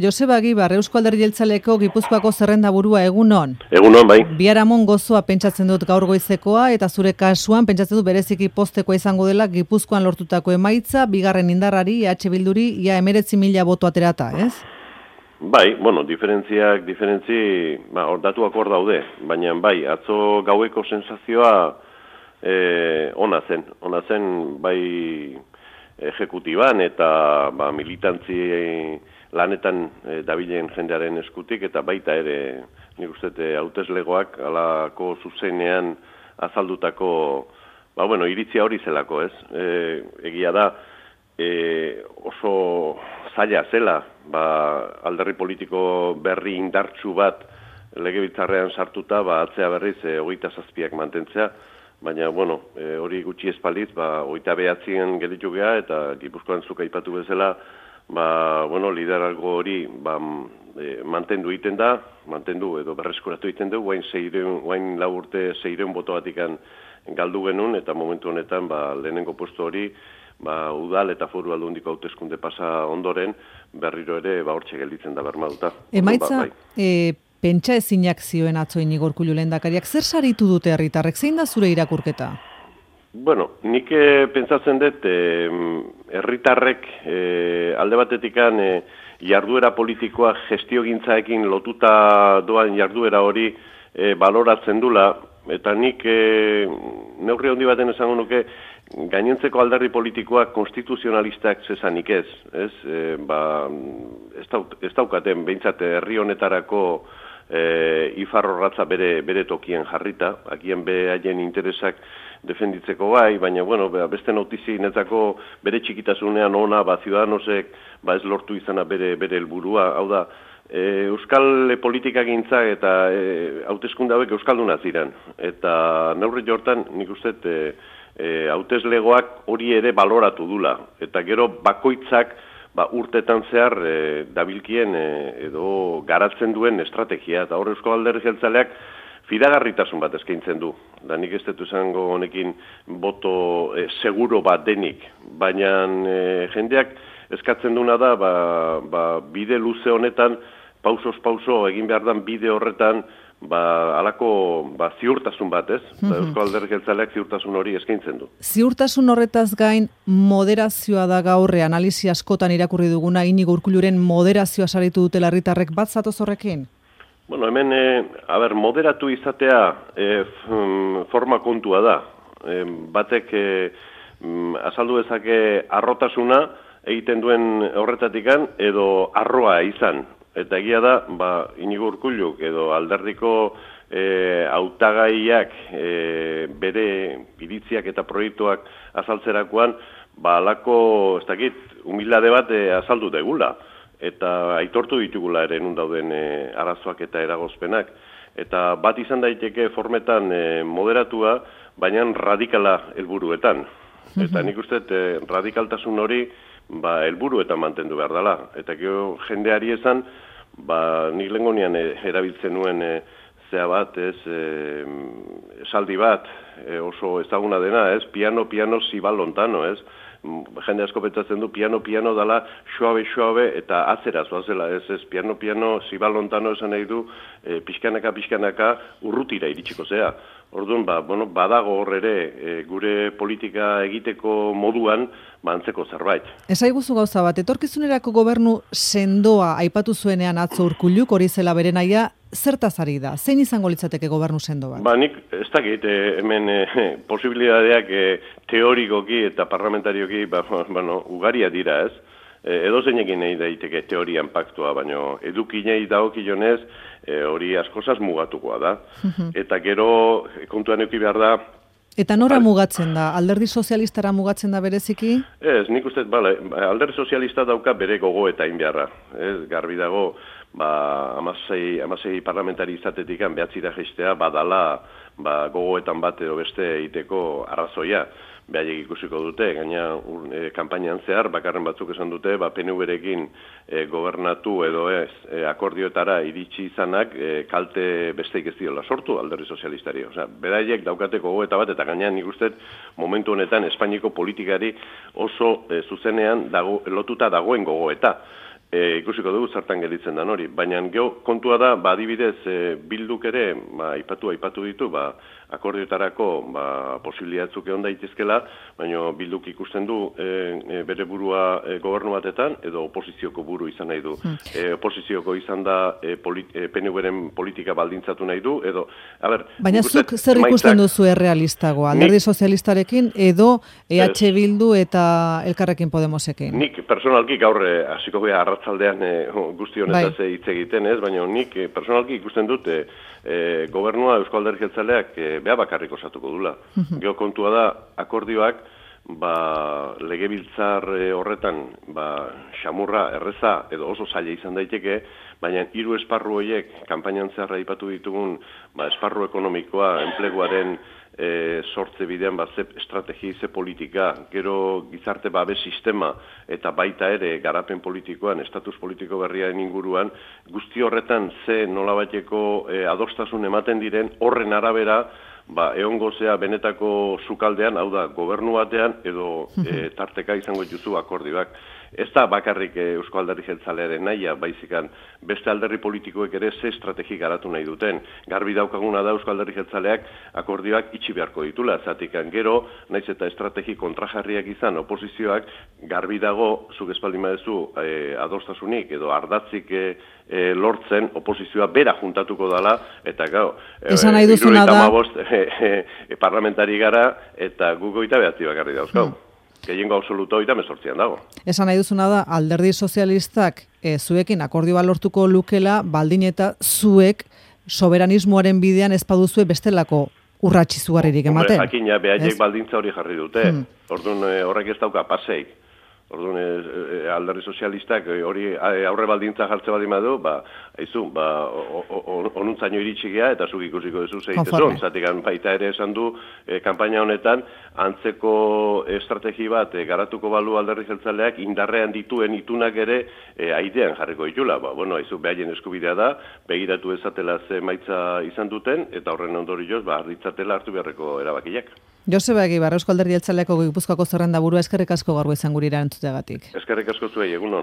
Joseba Agibar, Eusko Alderdi Jeltzaleko Gipuzkoako zerrendaburua, egunon. Egunon, bai. Biharamun gozoa pentsatzen dut gaur goizekoa, eta zure kasuan pentsatzen dut bereziki postekoa izango dela Gipuzkoan lortutako emaitza, bigarren indarrari, Bilduri, ia 19.000 boto aterata, ez? Bai, bueno, diferentzi, datuak hor daude, baina bai, atzo gaueko sensazioa ona zen, bai ejekutiban eta militantzi lanetan dabilen jendearen eskutik, eta baita ere, nik uste, hauteslegoak alako zuzenean azaldutako, iritzia hori zelako, ez? Egia da, oso zaila zela, alderdi politiko berri indartsu bat legebiltzarrean sartuta, atzea berriz 27ak mantentzea, baina, hori gutxi espaliz, 29 gelditu geha, eta Gipuzkoan zuk aipatu bezala, lideralgo hori mantendu egiten da, edo berreskuratu egiten du, guain 4 urte 600 boto batikan galdu genuen, eta momentu honetan lehenengo postu hori, udal eta foru aldundiko hauteskunde pasa ondoren, berriro ere hortxe gelditzen da bermaduta. Emaitza, pentsa ezinak zioen atzo Inigo Urkullu lehendakariak, zer saritu dute herritarrek, zein da zure irakurketa? Nik pentsatzen dut, herritarrek alde batetikan jarduera politikoa gestiogintzaekin lotuta doan jarduera hori baloratzen dula, eta nik neurri handi baten esango nuke, gainontzeko alderdi politikoak konstituzionalistak zezanik ez daukaten, behintzat herri honetarako ifarrorratza bere tokien jarrita, akien behaien interesak defenditzeko bai, baina beste notizi netzako bere txikitasunean ona, Ciudadanosek ez lortu izana bere helburua, hau da, euskal politikagintza eta hauteskunde hauek euskalduna ziren, eta neurri jortan nik uste hauteslegoak hori ere baloratu dula, eta gero bakoitzak urtetan zehar dabilkien edo garatzen duen estrategia, eta hor Eusko Alderdi Jeltzaleak fidagarritasun bat eskaintzen du. Da nik ez dut esango honekin boto seguro bat denik, baina jendeak eskatzen duna da, bide luze honetan, pausoz pauso egin behar dan bide horretan, alako ziurtasun bat, ez? Eusko Alderdi Jeltzaleak ziurtasun hori eskaintzen du. Ziurtasun horretaz gain moderazioa da gaur, analisi askotan irakurri duguna, Inigo Urkulluren moderazioa saritu dutela herritarrek, bat zatoz horrekin? Hemen, moderatu izatea forma kontua da. Batek azaldu dezake arrotasuna egiten duen horretatikan edo arroa izan. Eta egia da, Inigo Urkullu edo alderdiko hautagaiak bere iritziak eta proiektuak azaltzerakoan, alako, ez dakit, humilade bat azaldu degula. Eta aitortu ditugula ere nun dauden arazoak eta eragozpenak. Eta bat izan daiteke formetan moderatua, baina radikala helburuetan. Eta nik uste radikaltasun hori helburuetan mantendu behar dela. Eta gero jendeari esan, nik lehengonian erabiltzen nuen zea bat, esaldi bat, oso ezaguna dena, piano, zibal lontano, jende asko pentsatzen du, piano dala suabe eta atzera zoazela, piano, zibal lontano esan nahi du, pixkanaka urrutira iritsiko zea. Orduan, badago hor ere gure politika egiteko moduan antzeko zerbait. Esaiguzu gauza bat, etorkizunerako gobernu sendoa aipatu zuenean atzo Urkulluk, hori zela bere nahia, zertaz ari da? Zein izango litzateke gobernu sendo bat? Nik ez dakit, hemen posibilidadeak teorikoki eta parlamentarioki ugaria dira, ez? Edo zeinekin nahi daiteke teorian paktua, baina edukinei dagokionez hori askozaz mugatukoa da. Eta gero kontuan eduki behar da. Eta nora mugatzen da? Alderdi sozialistara mugatzen da bereziki? Ez, nik uste, alderdi sozialista dauka bere gogo eta inbeharra. Garbi dago, 16 parlamentari izatetik behatzira gestea badala gogoetan bat edo beste egiteko arrazoia. Behaiek ikusiko dute, gaina kanpainan zehar, bakarren batzuk esan dute, PNV-rekin gobernatu edo akordioetara iritsi izanak kalte besteik ez diola sortu alderdi sozialistari. Beraiek daukateko gogoeta bat, eta gaina nik uste momentu honetan Espainiako politikari oso zuzenean lotuta dagoen gogoeta. ikusiko dugu zertan gelditzen dan hori. Baina kontua da, adibidez, Bilduk ere, aipatu ditu, akordioetarako posibiliatzuk egon daitezkela, baina Bilduk ikusten du bere burua gobernu batetan, edo oposizioko buru izan nahi du. Oposizioko izan da PNV-ren politika baldintzatu nahi du, edo, baina zuk zer ikusten duzu errealistago, Alderdi Sozialistarekin, edo EH Bildu eta Elkarrekin Podemosekin? Nik personalki gaur hasiko gara arratzaldean guzti honetaz hitz egiten, ez? Baina nik personalki ikusten dut gobernua Eusko Alderdi Jeltzaleak beha bakarrik osatuko dula. Gero kontua da akordioak legebiltzar horretan xamurra, erreza edo oso zaila izan daiteke, baina 3 esparru horiek kanpainan zehar aipatu ditugun esparru ekonomikoa, enpleguaren sortze bidean ze estrategi, ze politika, gero gizarte babes sistema eta baita ere garapen politikoan, estatus politiko berriaren inguruan, guzti horretan ze nolabaiteko adostasun ematen diren horren arabera egongo zea benetako sukaldean, hau da, gobernu batean edo tarteka izango dituzu akordioak. Ez da bakarrik Eusko Alderdi Jeltzalearen nahia, baizikan beste alderdi politikoek ere ze estrategi garatu nahi duten. Garbi daukaguna da Eusko Alderdi Jeltzaleak akordioak itxi beharko ditula, zatikan gero, naiz eta estrategi kontrajarriak izan oposizioak, garbi dago, zuk espaldin badezu adostasunik edo ardatzik lortzen oposizioa bera juntatuko dala, eta gau, esan nahi duzuna da parlamentari gara, eta guk 29 bakarri dauzkau. Gehiengo absoluto 18an dago. Esan nahi duzuna da, Alderdi Sozialistak zuekin akordioa lortuko lukela, baldin eta zuek soberanismoaren bidean ez baduzue bestelako urratsi zugarririk ematen. Jakina, behaiek baldintza hori jarri dute. Orduan horrek ez dauka paseik. Orduan Alderdi Sozialistak hori aurre baldintza jartze baldin badu, onuntzaino iritsi gea eta zuk ikusiko duzu zeitezun. Zatikan baita ere esan du kanpaina honetan antzeko estrategi bat garatuko balu Alderdi Jeltzaleak indarrean dituen itunak ere aidean jarriko ditula. Behaien eskubidea da, begiratu ezatela ze maitza izan duten eta horren ondorioz arditzatela hartu beharreko erabakiak. Joseba Egibar, Eusko Alderdi Jeltzaleako Gipuzkoako zerrendaburua, eskerrik asko gaur izan gurira entzuteagatik. Eskerrik asko zuei, egunon.